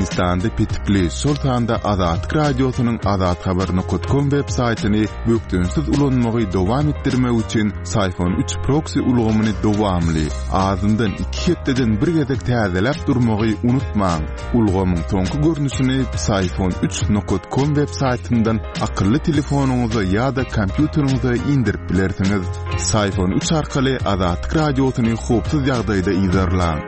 Türkmenistanda petikli, şol sanda Azatlyk Radiosynyň azathabar nokat kom web saýtyny bökdençsiz ulanmagy dowam etdirmek üçin Syfon üç proksi ulgamyny dowamly, azyndan iki hepdeden bir gezek täzeläp durmagy unutmaň. Ulgamyň soňky görnüşini Psiphon üç nokat kom web saýtyndan akylly telefonyňyza ýa-da kompýuteriňize indirip bilersiňiz. Psiphon üç arkaly Azatlyk Radiosyny howpsuz ýagdaýda yzarlaň.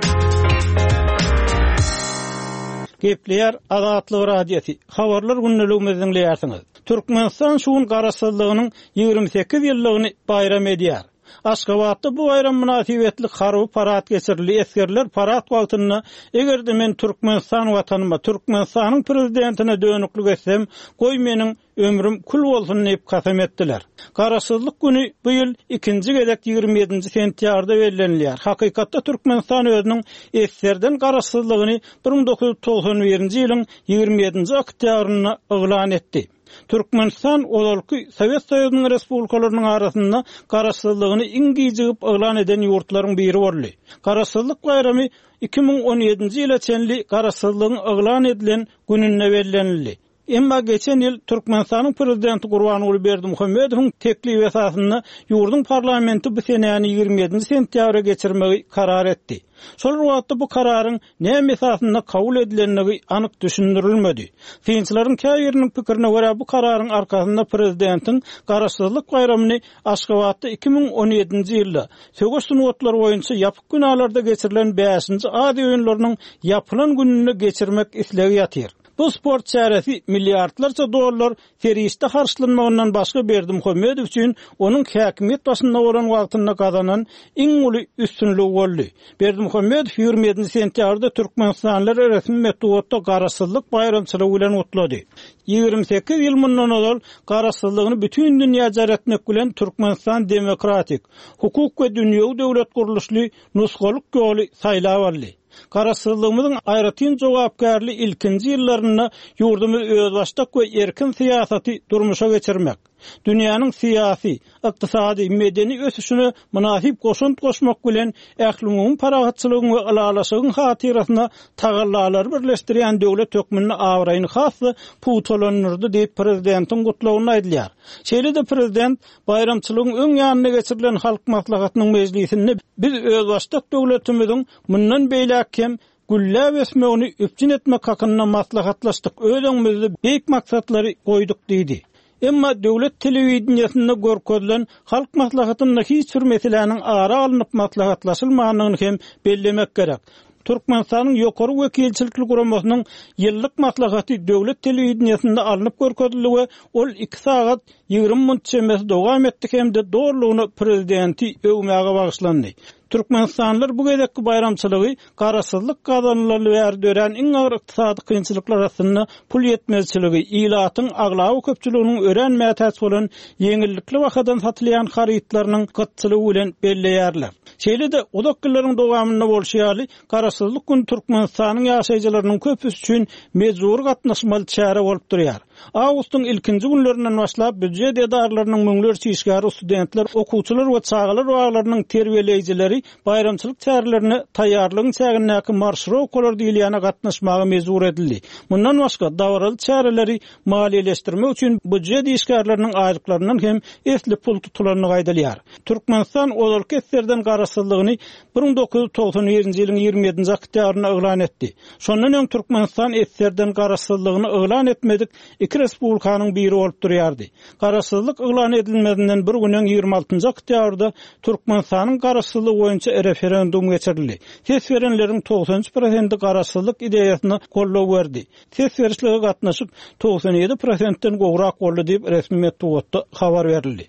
Gepleýär Azatlyk Radiosy, Habarlar gündeligimizi diňleýärsiňiz. Türkmenistan şu gün Garaşsyzlygynyň 28 ýyllygyny baýram edýär. Aşgabatda bu baýram mynasybetli harby parad geçirildi. Esgerler parad wagtynda Eger-de men Türkmenistan Watanyma, Türkmenistanyň Prezidentine dönüklik etsem, goý meniň ömrüm kül bolsun diýip kasam etdiler. Garaşsyzlyk güni bu ýyl ikinji gezek 27-nji sentýabrda bellenilýär. Hakykatda Türkmenistan özüniň esgerden garaşsyzlygyny 1991-nji ýylyň 27-nji oktýabrynda yglan etdi. Türkmenistan ozalky Sowet Soýuzynyň respublikalarynyň arasynda garaşsyzlygyny iň gijigip yglan eden ýurtlaryň biri boldy. Garaşsyzlyk baýramy 2017-nji ýyla çenli garaşsyzlygyň yglan edilen gününde bellenildi. Emma geçen ýyl Türkmenistanyň Prezidenti Gurbanguly Berdimuhamedowyň teklibi esasynda ýurduň parlamenti bu senäni 27-nji sentýabra geçirmegi karar etdi. Şol bir wagtda bu kararyň näme esasynda kabul edilendigi anyk düşündirilmedi. Synçylaryň käbiriniň pikirine görä, bu kararyň arkasynda prezidentiň Garaşsyzlyk baýramyny Aşgabatda 2017-nji ýylda söweş sungatlary boýunça ýapyk binalarda geçirilen bäşinji Aziýa oýunlarynyň ýapylan gününde geçirmek islegi ýatyr. Bu sport çäresi milliardlarça dollar serişde harçlanmagyndan başga Berdimuhamedow üçin onuň häkimiýet başynda bolan wagtynda gazanan iň uly üstünligi boldy. Berdimuhamedow 27 sentýabrda türkmenistanlylary resmi metbugatda Garaşsyzlyk baýramçylygy bilen gutlady. 28 ýyl mundan ozal Garaşsyzlygyny bütin dünýä jar etmek bilen Türkmenistan demokratik, hukuk we dünýewi döwlet gurluşly nusgalyk ýoly saýlap aldy. Garaşsyzlygymyzyň aýratyn jogapkärli ilkinji ýyllarynda ýurdumyz özbaşdak we erkin syýasaty durmuşa geçirmek, dünýäniň syýasy, ykdysady, medeni ösüşine mynasyp goşant goşmak bilen, ählumumy parahatçylygyň we ylalaşygyň hatyrasyna tagallalary birleşdirýän döwlet hökmünde abraýyny has-da pugtalandyrdy diýip, prezidentiň gutlagynda aýdylýar. Şeýle-de prezident Baýramçylygyň öň ýanynda geçirilen Halk Maslahatynyň mejlisinde biz özbaşdak döwletimiziň mundan beýläk hem gülläp ösmegini üpjün etmek hakynda maslahatlaşdyk, öz öňümizde beýik maksatlary goýduk diýdi. Emma döwlet telewideniýesinde görkezilen Halk Maslahatynda hiç bir meseläniň ara alnyp maslahatlaşylmandygyny hem bellemek gerek. Türkmenistanyň Ýokary wekilçilikli guramasynyň ýyllyk maslahaty döwlet telewideniýesinde alnyp görkezildi we ol iki sagat 20 munt çemesi dowam etdi hem-de dolulygyna prezidenti öwmäge bagyşlandy. Türkmenistanlylar bu gezekki baýramçylygy garaşsyzlyk gazanylaly bäri dörän iň agyr ykdysady kynçylyklar astynda pul ýetmezçiligi, ilatyň aglaba köpçüliginiň örän mätäç bolan ýeňillikli bahadan satylýan harytlarynyň gytçylygy bilen belleýärler. Şeýle-de, uzak ýyllaryň dowamynda bolşy ýaly, Garaşsyzlyk güni Türkmenistanyň ýaşaýjylarynyň köpüsi üçin mejbury gatnaşmaly çäre bolup durýar. Awgustyň ilkinji günlerinden başlap býujet edaralarynyň müňlerçe işgäri, studentler, okuwçylar we çagalar baglarynyň terbiýeleýjileri baýramçylyk çärelerine taýýarlygyň çägindäki marşirowkalar diýilýäne gatnaşmaga mejbur edildi. Mundan başga, dabaraly çäreleri maliýeleşdirmek üçin býujet işgärleriniň aýlyklaryndan hem esli pul tutulandygy aýdylýar. Türkmenistan ozalky SSR-den garaşsyzlygyny 1991-nji ýylyň 27-nji oktýabrynda yglan etdi. Şondan öň Türkmenistan SSR-den garaşsyzlygyny yglan etmedik iki respublikanyň biri bolup durýardy. Garaşsyzlyk yglan edilmezinden bir gün öň 26-njy oktýabrda Türkmenistanyň garaşsyzlygy boýunça referendum geçirildi. Ses berenleriň 93 prosenti garaşsyzlyk ideýasyna goldaw berdi. Ses berişlige gatnaşyk 97 prosentden gowrak boldy diýip, resmi metbugatda habar berildi.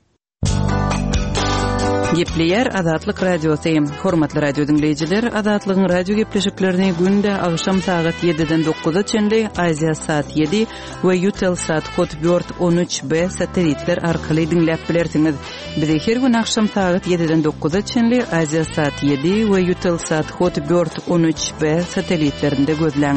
Gepleýär Azatlyk Radiosy. Hormatly radio diňleýjiler, Azatlygyň radio gepleşiklerini günde agşam sagat 7-den 9-a çenli Aziýa sat 7 we Eutelsat Hotbird 13B satellitler arkaly diňläp bilersiňiz. Bizi her gün agşam sagat 7-den 9-a çenli Aziýa sat 7 we Eutelsat Hotbird 13B satellitlerinde gözläň.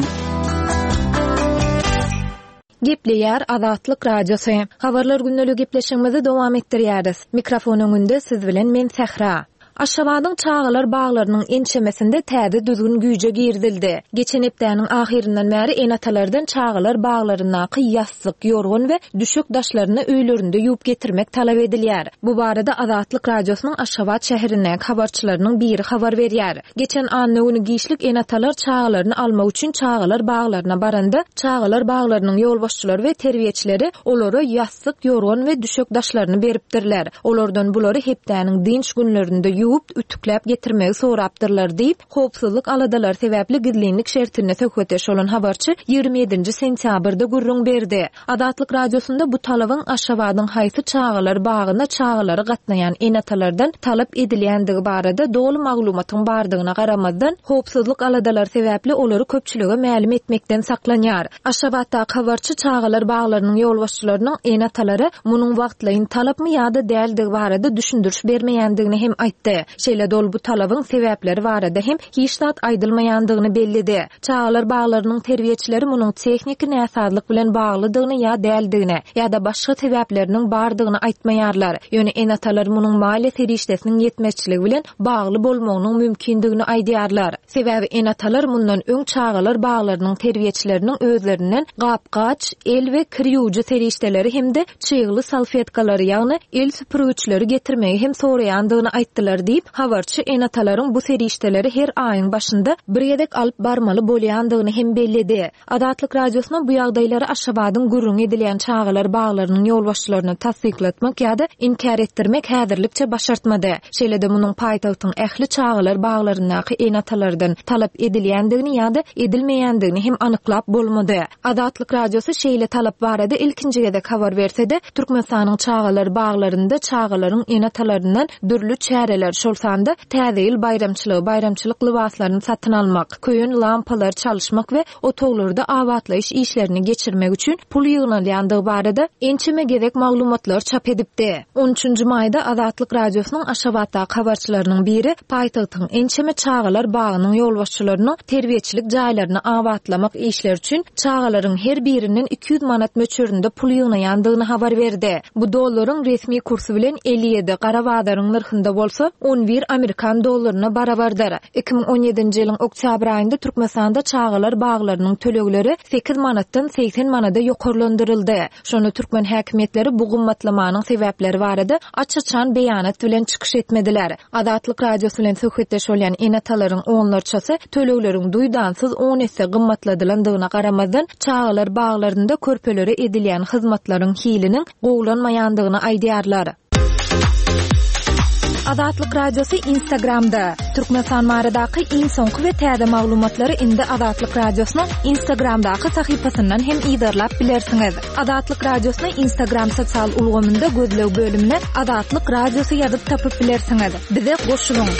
Gepleýär Azatlyk Radiosy. Habarlar gündeligi gepleşigimizi dowam etdirýäris. Mikrofon öňünde siz bilen men Sähra. Aşgabadyň çagalar baglarynyň ençemesinde täze düzgün güýje girizildi. Geçen hepdäniň ahyryndan bäri ene-atalardan çagalar baglaryndaky ýassyk, ýorgan we düşek daşlaryny öýlerinde ýuwup getirmek talap edilýär. Bu barada Azatlyk Radiosynyň Aşgabat şäherindäki habarçylarynyň biri habar berýär. Geçen anna güni giçlik ene-atalar çagalaryny almak üçin çagalar baglaryna baranda, çagalar baglarynyň ýolbaşçylary we terbiýeçileri olara ýassyk, ýorgan we düşek daşlaryny beripdirler. Olardan bulary hepdäniň dynç günlerinde ýuwup, ütükläp getirmegi sorapdyrlar diýip, howpsuzlyk aladalary sebäpli gizlinlik şertinde söhbetdeş bolan habarçy 27-nji sentýabrda gürrüň berdi. Azatlyk Radiosynda bu talabyň Aşgabadyň haýsy çagalar bagyna çagalary gatnaýan ene-atalardan talap edilýändigi barada doly maglumatyň bardygyna garamazdan, howpsuzlyk aladalary sebäpli olary köpçülige mälim etmekden saklanýar. Aşgabatdaky habarçy çagalar baglarynyň ýolbaşçylarynyň ene-atalara munuň wagtlaýyn talapmy ýa-da däldigi barada düşündiriş bermeýändigini hem aýtdy. Şeýle-de ol bu talabyň sebäpleri barada hem hiç zat aýdylmaýandygyny belledi. Çagalar baglarynyň terbiýeçileri munuň tehniki näsazlyk bilen baglydygyny ýa däldigini, ýa-da başga sebäpleriniň bardygyny aýtmaýarlar. Ýöne ene-atalar munuň maliýe serişdesiniň ýetmezçiligi bilen bagly bolmagynyň mümkindigini aýdýarlar. Sebäbi ene-atalar mundan öň çagalar baglarynyň terbiýeçileriniň özlerinden gap-gaç, el we kir ýuwujy serişdeleri hem-de çygly salfetkalary, ýagny el süpürgiçleri getirmegi hem soraýandygyny aýtdylar diýip, habarçy ene-atalaryň bu serişdeleri her aýyň başynda bir gezek alyp barmaly bolýandygyny hem belledi. Azatlyk Radiosyna bu ýagdaýlary Aşgabadyň gürrüňi edilýän çagalar baglarynyň ýolbaşçylaryna tassyklatmak ýa-da inkär etdirmek häzirlikçe başartmady. Şeýle-de munuň paýtagtyň ähli çagalar baglaryndaky ene-atalardan talap edilýändigini ýa-da edilmeýändigini hem anyklap bolmady. Azatlyk Radiosy şeýle talap barada ilkinji gezek habar berse-de, Türkmenistanyň çagalar baglarynda çagalaryň ene-atalaryndan dürli çäreler, şol sanda Täze ýyl baýramçylygy, baýramçylyk lybaslaryny satyn almak, köýen lampalary çalyşmak we otaglarda abatlaýyş işlerini geçirmek üçin pul ýygnalýandygy barada ençeme gezek maglumatlar çap edipdi. On üçünji maýda Azatlyk Radiosynyň Aşgabatdaky habarçylarynyň biri paýtagtyň ençeme çagalar bagynyň ýolbaşçylarynyň terbiýeçilik jaýlaryny abatlamak işleri üçin çagalaryň her birinden 200 manat möçberinde pul ýygnaýandygyny habar berdi. Bu dollaryň resmi kursy bilen 57, gara bazaryň nyrhynda bolsa 11 amerikan dollaryna barabardyr. 2017-nji ýylyň oktýabr aýynda Türkmenistanda çagalar baglarynyň tölegleri 8 manatdan 80 manada ýokarlandyryldy. Şonda türkmen häkimiýetleri bu gymmatlamanyň sebäpleri barada aç-açan beýanat bilen çykyş etmediler. Azatlyk Radiosy bilen söhbetdeş bolýan ene-atalaryň onlarçasy tölegleriň duýdansyz on esse gymmatladylandygyna garamazdan, çagalar baglarynda körpelere edilýän hyzmatlaryň hiliniň gowulanmaýandygyny aýdýarlar. Azatlyk Radiosy Instagramda, Türkmenistan baradaky iň soňky we täze maglumatlary indi Azatlyk Radiosynyň Instagramdaky sahypasyndan hem yzarlap bilersiňiz. Azatlyk Radiosyny Instagram sosial ulgamynda gözleg bölümine Azatlyk Radiosy ýazyp tapyp bilersiňiz. Bize goşulyň!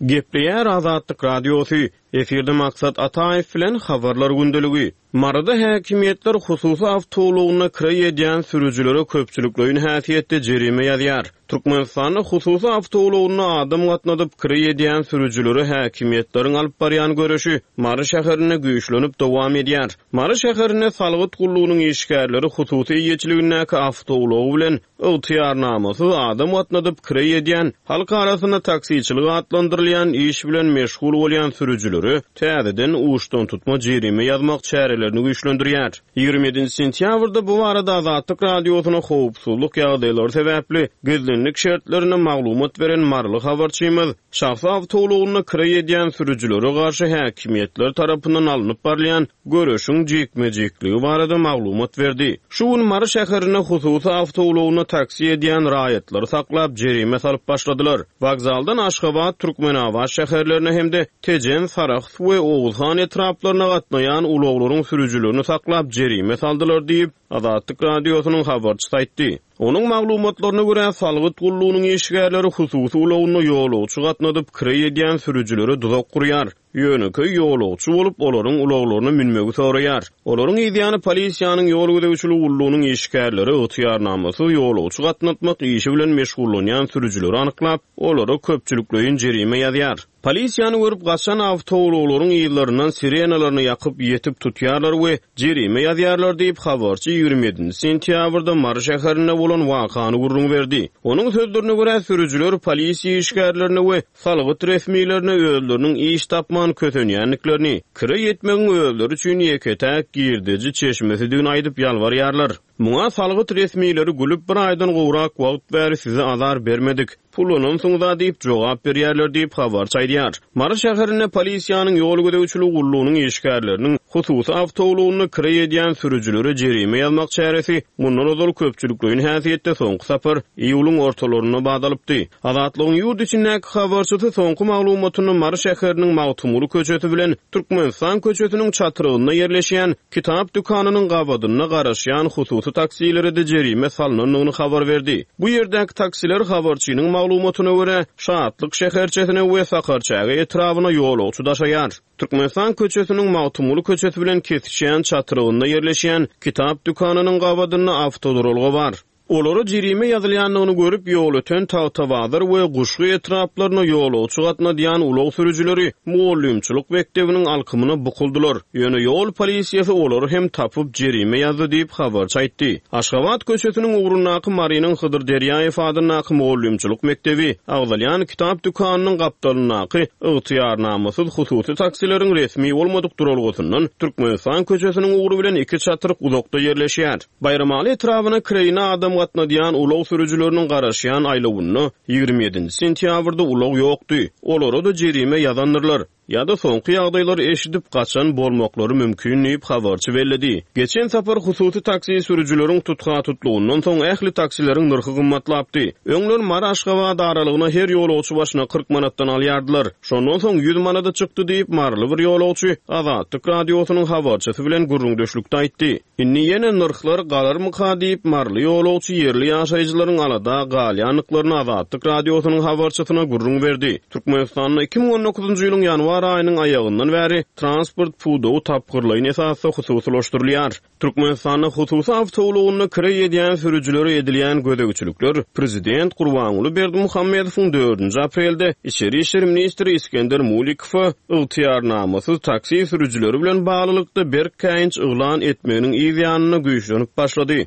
Gepleýär Azatlyk Radiosy, Efirde Maksat Ataýew bilen Habarlar gündeligi. Maryda häkimiýetler hususy awtoulagynda kireý edýän sürüjilere köpçülikleýin häsiýetde jerime ýazýar. Türkmenistanda hususy awtoulagynda adam gatnadyp kireý edýän sürüjilere häkimiýetleriň alyp barýan göreşi Mary şäherinde güýçlenip dowam edýär. Mary şäherinde salgyt gullugynyň işgärleri hususy eýeçiligindäki awtoulagy bilen Ygtyýarnamasyz adam gatnadyp kireý edýän, halk arasynda taksiçilik atlandyrylýan iş bilen meşgul bolýan sürüjilere täzeden uçdantutma jerime ýazmak çärelerini güýçlendirýär. 27 sentýabrda bu barada Azatlyk Radiosyna howpsuzlyk ýagdaýlary sebäpli gizlinlik şertlerinde maglumat beren maryly habarçymyz şahsy awtoulagynda kireý edýän sürüjilere garşy häkimiýetler tarapyndan alnyp barylýan göreşiň jikme-jikligi barada maglumat berdi. Şu gün Mary şäherinde hususy awtoulagynda taksi edýän raýatlary saklap, jerime salyp başladylar. Wokzaldan Aşgabat, Türkmenabat şäherlerine hem-de Tejen, Sarahs we Oguzhan etraplaryna gatnaýan ulaglaryň sürüjilerini saklap, jerime saldylar diýip, Azatlyk Radiosynyň habarçysy aýtdy. Onuň maglumatlaryna görä, salgyt gullugynyň işgärleri hususy ulagynda ýolagçy gatnadyp, kireý edýän sürüjilere duzak gurýar. Ýönekeý ýolagçy bolup, olaryň ulaglaryna münmegi soraýar. Olaryň yzýany polisiýanyň ýol gözegçiligi gullugynyň işgärleri ygtyýarnamasyz ýolagçy gatnatmak işi bilen meşgullanýan sürüjileri anyklap, olara köpçülikleýin jerime ýazýar. Polisiýany görüp gaçan awtoulaglaryň yzlaryndan sirenalaryny ýakyp, ýetip tutýarlar we jerime ýazýarlar diýip, habarçy 27-nji sentýabrda Mary şäherinde bolan wakany gürrüň berdi. Onuň sözlerine görä, sürüjiler polisiýa işgärlerine we salgyt resmilerine özleriniň iş tapman kösenýändiklerini, kireý etmegiň özleri üçin ýeke-täk girdeji çeşmesidigini aýdyp ýalbarýarlar. Muňa salgyt resmileri gülüp, bir aýdan gowrak wagt bäri size azar bermedik, pullanansyňyz-a diýip jogap berýärler diýip, habarçy aýdýar. Mary şäherinde polisiýanyň ýol gözegçiligi gullugynyň işgärleriniň hususy awtoulagynda kireý edýän sürüjilere jerime ýazmak çäresi mundan ozal köpçülikleýin häsiýetde soňky sapar iýulyň ortalarynda bat alypdy. Azatlygyň ýurt içindäki habarçysy soňky maglumatynda Mary şäheriniň Magtymguly köçesi bilen Türkmenistan köçesiniň çatrygynda ýerleşýän kitap dükanynyň gabadynda garaşýan hususy taksilere-de jerime salnandygyny habar berdi. Bu ýerdäki taksiler habarçynyň maglumatyna görä, Şatlyk şäherçesine we Sakarçäge etrabyna ýolagçy daşaýar. Türkmenistan köçesiniň Magtymguly köçesi bilen kesişýän çatrygynda ýerleşýän kitap dükanynyň gabadynda awtoduralga bar. Olara jerime ýazylýandygyny görüp, Ýolöten, Tagtabazar we Guşgy etraplaryna ýolagçy gatnadýan ulag sürüjileri mugallymçylyk mekdebiniň alkymyna bukuldylar. Ýöne ýol polisiýasy olary hem tapyp, jerime ýazdy diýip, habarçy aýtdy. Aşgabat köçesiniň ugrundaky Marynyň Hydyr Derýaýew adyndaky mugallymçylyk mekdebi, agzalýan kitap dükanynyň gapdalyndaky ygtyýarnamasyz hususy taksileriň resmi bolmadyk duralgasyndan Türkmenistan köçesiniň ugry bilen iki çatryk uzakda ýerleşýär. Baýramaly etrabyna kireýine adam gatnadýan ulag sürüjileriniň garaşýan aýlawynda 27-nji sentýabrda ulag ýokdy. Olara-da jerime ýazandyrlar. Ýa-da soňky ýagdaýlary eşidip, gaçan bolmaklary mümkin diýip, habarçy belledi. Geçen sapar hususy taksi sürüjileriň tutha-tutlugyndan soň ähli taksileriň nyrhy gymmatlapdy. Öňler Mary-Aşgabat aralygyna her ýolagçy başyna 40 manatdan alýardylar. Şondan soň ýüz manada çykdy diýip, maryly bir ýolagçy Azatlyk Radiosynyň habarçysy bilen gürrüňdeşlikde aýtdy. Indi ýene nyrhlar galarmyka diýip, maryly ýolagçy ýerli ýaşaýjylaryň alada galýandyklaryny Azatlyk Radiosynyň habarçysyna gürrüň berdi. Türkmenistanda 2019-njy ýylyň ýanwar aýynyň aýagyndan bäri transport pudagy tapgyrlaýyn esasda hususylaşdyrylýar. Türkmenistanda hususy awtoulagynda kireý edýän sürüjilere edilýän gözegçilikler prezident Gurbanguly Berdimuhamedowyň dördünji aprelde içeri işler ministri Isgender Mulikowa ygtyýarnamasyz taksi sürüjileri bilen baglylykda berk käýinç yglan etmeginiň yz ýanynda güýçlenip başlady.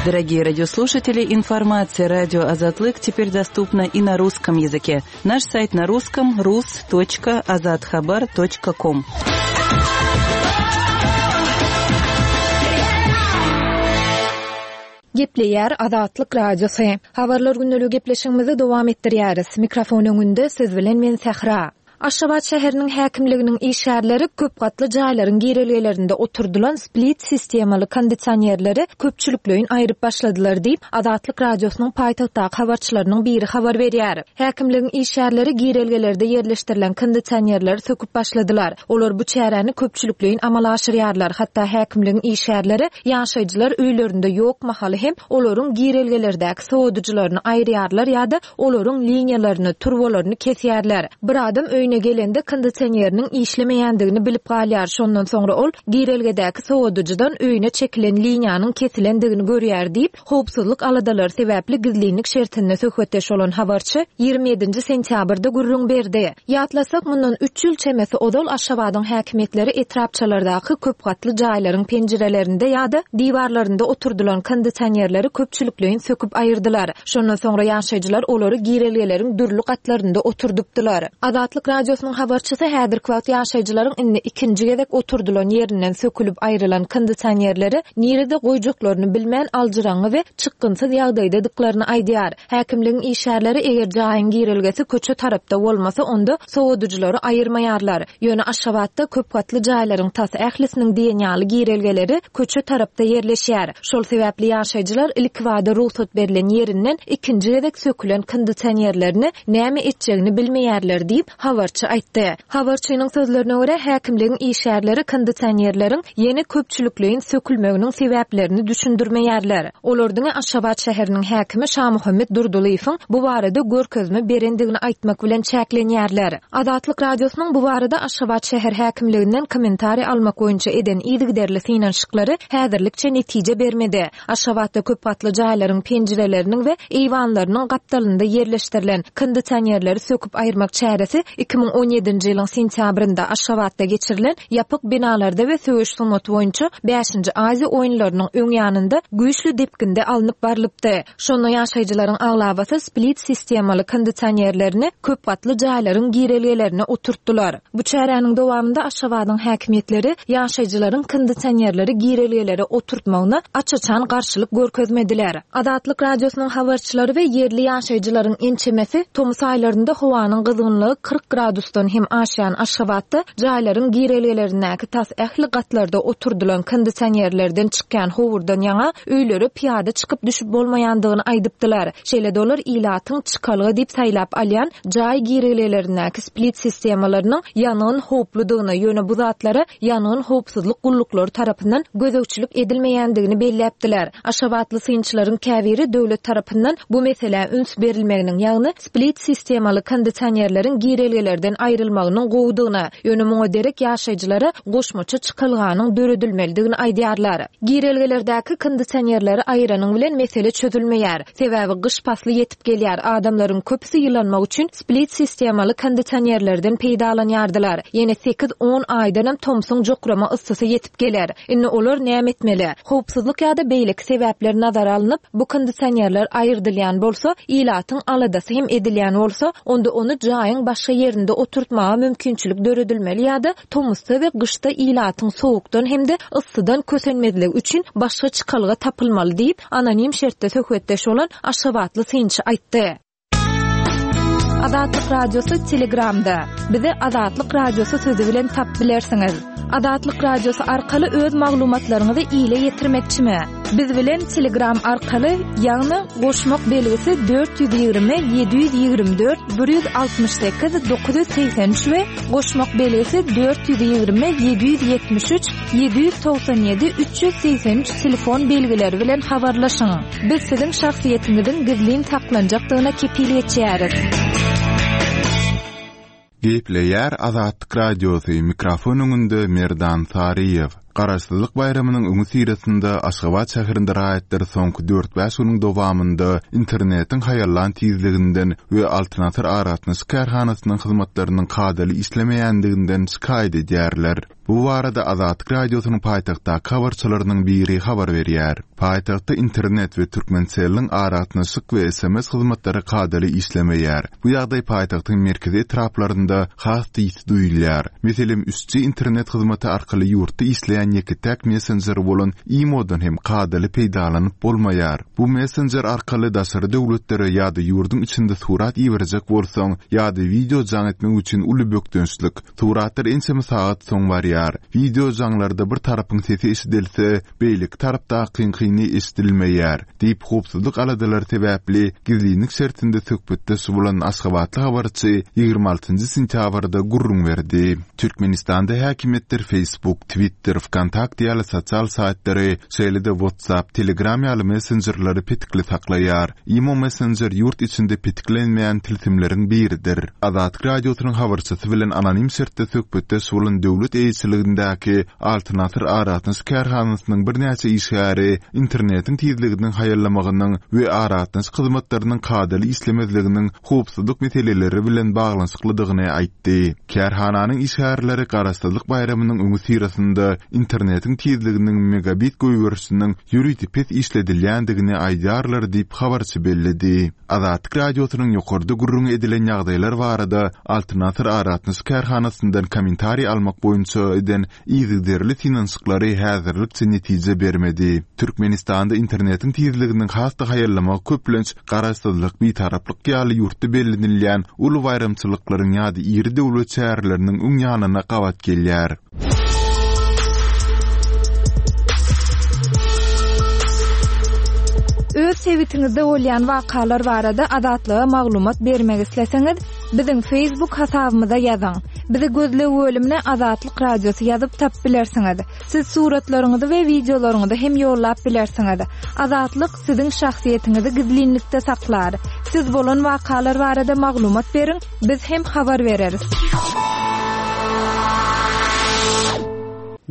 Дорогие радиослушатели, информация радио Азатлык теперь доступна и на русском языке. Наш сайт на русском rus.azathabar.com. Gepleýär Azatlyk Radiosy. Habarlar gündeligi gepleşigimizi dowam etdirýäris. Mikrofon öňünde siz bilen men Sähra. Aşgabat şäheriniň häkimliginiň işgärleri köp gatly jaýlaryň girelgelerinde oturdylan split sistemaly kondisionerleri köpçülikleýin aýryp başladylar diýip, Azatlyk Radiosynyň paýtagtdaky habarçylarynyň biri habar berýär. Häkimligiň işgärleri girelgelerde ýerleşdirilen kondisionerleri söküp başladylar. Olar bu çäräni köpçülikleýin amala aşyrýarlar, hatda häkimligiň işgärleri ýaşaýjylar öýlerinde ýok mahaly hem olaryň girelgelerdäki sowadyjylaryny aýyrýarlar ýa-da olaryň liniýalaryny, turbalaryny kesýärler. Bir adam öýüne gelende kondisioneriniň işlemeýändigini bilip galýar, şondan soňra ol girelgedäki sowadyjydan öýüne çekilen liniýanyň kesilendigini görýär diýip, Howpsuzlyk aladalary sebäpli gizlinlik şertinde söhbetdeş bolan habarçy 27-nji sentýabrda gürrüň berdi. Ýatlasak, mundan üç ýyl çemesi ozal Aşgabadyň häkimiýetleri etrapçalardaky köp gatly jaýlaryň penjirelerinde ýa-da diwarlarynda oturdylan kondisionerleri köpçülikleýin söküp aýyrdylar. Şondan soňra ýaşaýjylar olary girelgeleriň dürli gatlarynda oturdypdylar. Azatlyk Radiosynyň habarçysy häzirki wagt ýaşaýjylaryň indi ikinji gezek oturdylan ýerinden sökülip aýrylan kondisionerleri nirede goýjaklaryny bilmän aljyraňňy we çykgynsyz ýagdaýdadyklaryny aýdýar. Häkimligiň işgärleri eger jaýyň girelgesi köçe tarapda bolmasa, onda sowadyjylary aýyrmaýarlar. Ýöne Aşgabatda köpgatly jaýlaryň tas ählisiniň diýen ýaly girelgeleri köçe tarapda ýerleşýär. Şol sebäpli ýaşaýjylar ilkibada rugsat berlen ýerinden ikinji gezek sökülen kondisionerlerini näme etjegini bilmeýärler diýip, habarçy. habarçy aýtdy. Habarçynyň sözlerine görä, häkimligiň işgärleri kondisionerleriň ýene köpçülikleýin sökülmeginiň sebäplerini düşündirmeýärler. Olar diňe Aşgabat şäheriniň häkimi Şamuhammet Durdylyýewiň bu barada görkezme berendigini aýtmak bilen çäklenýärler. Azatlyk Radiosynyň bu barada Aşgabat şäher häkimliginden kommentariý almak boýunça eden yzygiderli synanyşyklary häzirlikçe netije bermedi. Aşgabatda köp gatly jaýlaryň penjireleriniň we eýwanlarynyň gapdalynda ýerleşdirilen kondisionerleri söküp aýyrmak çäresi 2017-nji ýylyň sentýabrynda Aşgabatda geçirilen ýapyk binalarda we söweş sungaty boýunça bäşinji Aziýa oýunlarynyň öň ýanynda güýçli depginde alnyp barlypdy. Şonda ýaşaýjylaryň aglabasy split sistemaly kondisionerlerini köp gatly jaýlaryň girelgelerine oturtdylar. Bu çäräniň dowamynda Aşgabadyň häkimiýetleri ýaşaýjylaryň kondisionerleri girelgelere oturtmagyna aç-açan garşylyk görkezmediler. Azatlyk Radiosynyň habarçylary we ýerli ýaşaýjylaryň ençemesi tomus aýlarynda howanyň gyzgynlygy 40 gradusdan hem aşýan Aşgabatda jaýlaryň girelgelerindäki tas ähli gatlarda oturdylan kondisionerlerden çykýan howurdan ýaňa öýlere pyýada çykyp-düşüp bolmaýandygyny aýdypdylar. Şeýle-de olar ilatyň çykalga diýip saýlap alýan jaý girelgelerindäki split sistemalarynyň ýangyn howpludygyny, ýöne bu zatlara ýangyn howpsuzlyk gulluklary tarapyndan gözegçilik edilmeýändigini belläpdiler. Aşgabatly synçylaryň käbiri döwlet tarapyndan bu meselä üns berilmeginiň, ýagny split sistemaly kondisionerleriň girelgelerden aýrylmagynyň gowudygyny, ýöne muňa derek ýaşaýjylara goşmaça çykalganyň döredilmelidigini aýdýarlar. Girelgelerdäki kondisionerleri aýyranyň bilen mesele çözülmeýär. Sebäbi gyş pasly ýetip gelýär, adamlaryň köpüsi ýylanmak üçin split sistemaly kondisionerlerden peýdalanýardylar. Ýene sekiz-on aýdanam tomsuň jokrama yssysy ýetip geler. Indi olar näme etmeli? Howpsuzlyk ýa-da beýleki sebäpler nazara alnyp, bu kondisionerler aýyrdylýan bolsa, ilatyň aladasy hem edilýän bolsa, onda ony jaýyň başga ýerinde oturtmaga mümkinçilik döredilmeli ýa-da tomusda we gyşda ilatyň sowukdan hem-de yssydan kösenmezligi üçin başga çykalga tapylmaly diýip, anonim şertde söhbetdeş bolan aşgabatly synçy aýtdy. Azatlyk Radiosy Telegramda. Bizi Azatlyk Radiosy sözi bilen tapyp bilersiňiz. Azatlyk Radiosy arkaly öz maglumatlaryňyzy ile ýetirmekçimi? Biz bilen Telegram arkaly, ýagny goşmak belgisi 420 724 168 983 we goşmak belgisi 420 773 797 383 telefon belgileri bilen habarlaşyň. Biz siziň şahsyýetiňiziň gizlin saklanjakdygyna kepil geçýäris. Gepleýär Azatlyk Radiosy, mikrofon öňünde Merdan Saryýew. Garaşsyzlyk baýramynyň öňüsyrasynda Aşgabat şäherinde raýatlar soňky dört-bäş günüň dowamynda internetiň haýallan tizliginden we Altyn Asyr aragatnaşyk kärhanasynyň hyzmatlarynyň kadaly işlemeýändiginden şikaýat edýärler. Bu barada Azatlyk Radiosynyň paýtagtdaky habarçylarynyň biri habar berýär. Paýtagtda internet we Türkmentelliň aragatnaşyk we sms hyzmatlary kadaly işlemeýär. Bu ýagdaý paýtagtyň merkezi etraplarynda has-da ýiti duýulýar. Meselem, üç G internet hyzmaty arkaly ýurtda işleýän ýeke-täk messenjer bolan Imo-dan hem kadaly peýdalanyp bolmaýar. Bu messenjer arkaly daşary döwletlere ýa-da ýurduň içinde surat iberjek bolsaň ýa-da wideo jaň etmek üçin uly bökdençlik. Suratlar ençeme sagat soň barýar. Wideo jaňlarda bir tarapyň sesi eşidilse, beýleki tarapdakyňkyny eşidilmeýär, diýip, howpsuzlyk aladalary sebäpli gizlinlik şertinde söhbetdeş bolan aşgabatly habarçy 26 nji sentýabrda gürrüň berdi. Türkmenistanda häkimiýetler Facebook, Twitter, Wkontakte ýaly sosial saýtlary, şeýle-de WhatsApp, Telegram ýaly messenjerleri petikli saklaýar. Imo messenjer ýurt içinde petiklenmeýän tilsimleriň biridir. Azatlyk Radiosynyň habarçysy bilen anonim şertde söhbetdeş bolan döwlet eýeçiligindäki Altyn Asyr aragatnaşyk kärhanasynyň birnäçe işgäri internetiň tizliginiň haýallamagynyň we aragatnaşyk hyzmatlarynyň kadaly işlemezliginiň howpsuzlyk meseleleri bilen baglanyşyklydygyny aýtdy. Kärhananyň işgärleri Garaşsyzlyk baýramynyň öňüsyrasynda internetiň tizliginiň megabit goýberişiniň ýörite pes işledilýändigini aýdýarlar diýip, habarçy belledi. Azatlyk Radiosynyň ýokarda gürrüňi edilen ýagdaýlar barada Altyn Asyr aragatnaşyk kärhanasyndan kommentariý almak boýunça eden yzygiderli synanyşyklary häzirlikçe netije bermedi. Türkmenistanda internetiň tizliginiň has-da haýallamagy köplenç Garaşsyzlyk, Bitaraplyk ýaly ýurtda bellenilýän uly baýramçylyklaryň ýa-da iri döwlet çäreleriniň öň ýanyna gabat gelýär. Öz sebitiňizde bolýan wakalar barada Azatlyga maglumat bermek isleseňiz, Biziň Facebook hasabymyza ýazyň. Bizi gözleg bölümine Azatlyk Radiosy ýazyp tapyp bilersiňiz. Siz suratlaryňyzy we wideolaryňyzy hem ýollap bilersiňiz. Azatlyk siziň şahsyýetiňizi gizlinlikde saklar. Siz bolan wakalar barada maglumat beriň, biz hem habar bereris.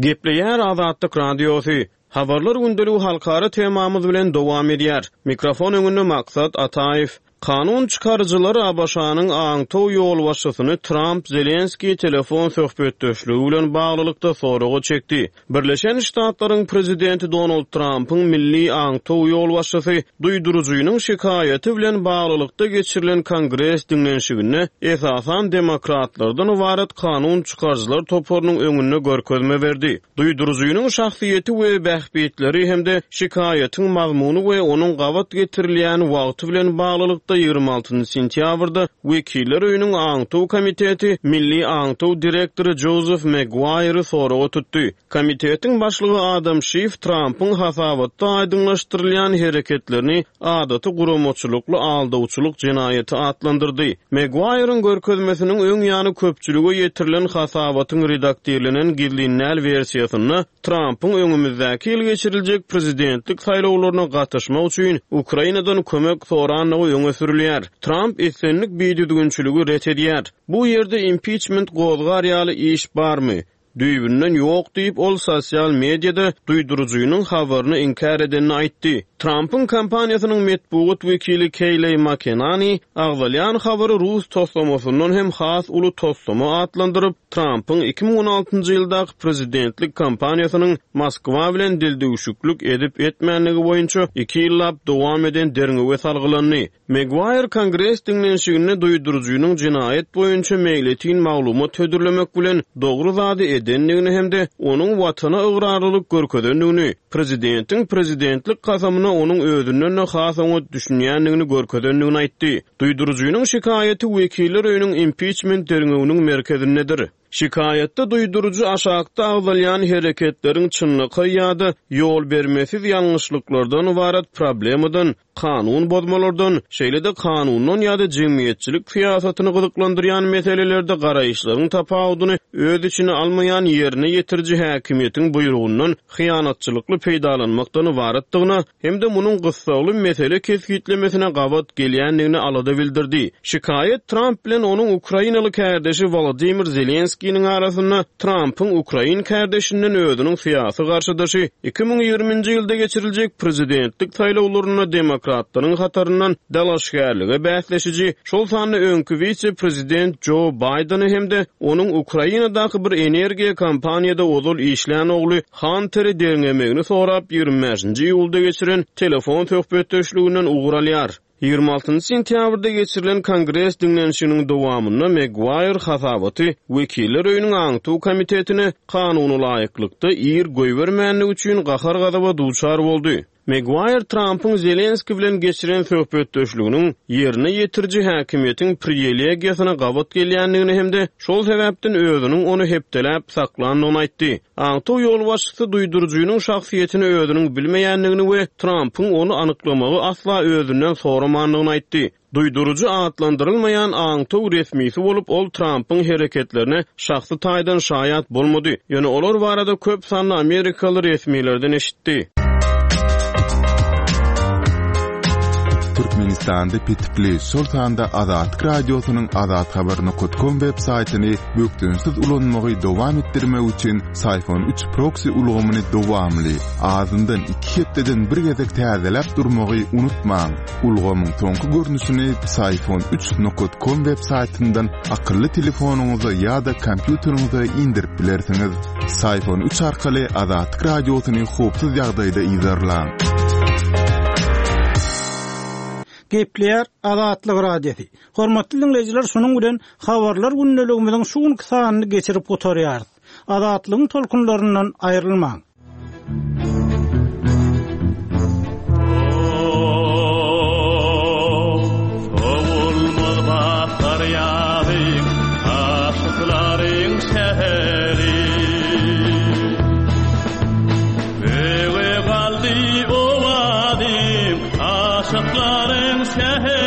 Gepleýär Azatlyk Radiosy. Habarlar gündeligi halkara temamyz bilen dowam edýär. Mikrofon öňünde Maksat Ataýew. Kanun çykaryjylar ABŞ-nyň aňtaw ýolbaşçysyny Tramp-Zelenskiý telefon söhbetdeşligi bilen baglylykda soraga çekdi. Birleşen Ştatlaryň prezidenti Donald Trampyň milli aňtaw ýolbaşçysy duýduryjynyň şikaýaty bilen baglylykda geçirilen Kongres diňlenişiginde esasan demokratlardan ybarat kanun çykaryjylar toparynyň öňünde görkezme berdi. Duýduryjynyň şahsyýeti we bähbitleri hem-de şikaýatyň mazmuny we onuň gabat getirilýän wagty bilen baglylykda 26 sentýabrda Wekiller öýüniň Aňtaw komiteti Milli aňtaw direktory Jozef Megwaýry soraga tutdy. Komitetiň başlygy Adam Şif Trampyň hasabatda aýdyňlaşdyrylýan hereketlerini adaty guramaçylykly aldawçylyk jenaýaty atlandyrdy. Megwaýryň görkezmesiniň öň ýany köpçülige ýetirilen hasabatyň redaktirlenen gizlin däl wersiýasynda Trampyň öňümizdäki ýyl geçiriljek prezidentlik saýlawlaryna gatyşmak üçin Ukrainadan kömek sorandygy öňe sürülýär. Tramp islendik bidüzgünçiligi ret edýär. Bu ýerde impiçment gozgar ýaly iş barmy? Düýbünden ýok diýip, ol sosial mediada duýduryjynyň habaryny inkär edenini aýtdy. Trampyň kampaniýasynyň metbugat wekili Keýleý Makenani agzalýan habary rus toslamasyndan hem has uly toslama atlandyryp, Trampyň 2016-njy ýyldaky prezidentlik kampaniýasynyň Moskwa bilen dildüwşüklik edip-etmändigi boýunça iki ýyllap dowam eden derňewe salgylandy. Megwaýr Kongres diňlenişiginde duýduryjynyň jenaýat boýunça meýletin maglumat hödürlemek bilen dogry zady edendigini hem-de onuň Watana ygrarlylyk görkezendigini, prezidentiň prezidentlik kasamyna onuň özünden-de has oňat düşünýändigini görkezendigini aýtdy. Duýduryjynyň şikaýaty Wekiller öýüniň impiçment derňewiniň merkezindedir. Şikaýatda duýduryjy aşakda agzalýan hereketleriň çynlakaý ýa-da ýolbermesiz ýalňyşlyklardan ybarat problemadan, kanun bozmalardan, şeýle-de kanundan ýa-da jemgyýetçilik syýasatyny gyzyklandyrýan meselelerde garaýyşlaryň tapawudyny öz içine almaýan ýerine ýetiriji häkimiýetiň buýrugyndan hyýanatçylykly peýdalanmakdan ybaratdygyna hem-de munuň gyssagly mesele kesgitlemesine gabat gelýändigine alada bildirdi. Şikaýat Tramp bilen onuň ukrainaly kärdeşi Wolodymyr Zelenskiniň arasynda Trampyň ukrain kärdeşinden özüniň syýasy garşydaşy 2020-nji ýylda geçiriljek prezidentlik saýlawlarynda demokratlaryň hataryndan dalaşgärlige bäsleşiji, şol sanda öňki wise-prezident Jo Baýdeny hem-de onuň Ukrainadaky bir energiýa kompaniýada ozal işlän ogly Hanteri derňemegini sorap, 25-nji iýulda geçiren telefon söhbetdeşliginden ugur alýar. 26-njy sentýabrda geçirilen Kongres diňlenişiginiň dowamynda Megwaýr hasabaty Wekiller öýüniň aňtaw komitetine kanuna laýyklykda ir goýbermändigi üçin gahar-gazaba duçar boldy. Megwaýr Trampyň Zelenski bilen geçiren söhbetdeşliginiň ýerine ýetiriji häkimiýetiň prielegiýasyna gabat gelýändigini hem-de şol sebäpden özüniň ony hepdeläp saklandygyny aýtdy. Aňtaw ýolbaşçysy duýduryjynyň şahsyýetini özüniň bilmeýändigini we Trampyň ony anyklamagy asla özünden soramandygyny aýtdy. Duýduryjy atlandyrylmaýan aňtaw resmisi bolup, ol Trampyň hereketlerine şahsy taýdan şaýat bolmady, ýöne olar barada köp sanly amerikaly resmilerden eşitdi. Türkmenistanda petikli, şol sanda Azatlyk Radiosynyň azathabar nokat kom web saýtyny bökdençsiz ulanmagy dowam etdirmek üçin Syfon 3 proksi ulgamyny dowamly, azyndan iki hepdeden bir gezek täzeläp durmagy unutmaň. Ulgamyň soňky görnüşini Psiphon 3 nokat com web saýtyndan akylly telefonyňyza ýa-da kompýuteriňize indirip bilersiňiz. Psiphon 3 arkaly Azatlyk Radiosyny howpsuz ýagdaýda yzarlaň. Gepleýär Azatlyk Radiosy. Hormatly diňleýjiler, şunuň bilen Habarlar gündeligimiziň şu günki sanyny geçirip gutarýarys. Azatlygyň tolkunlaryndan aýrylmaň! Sowulmaz bahar ýazy, aşyklaryň şäheri. Öýe galdy owazym, aşyklaryň şäheri.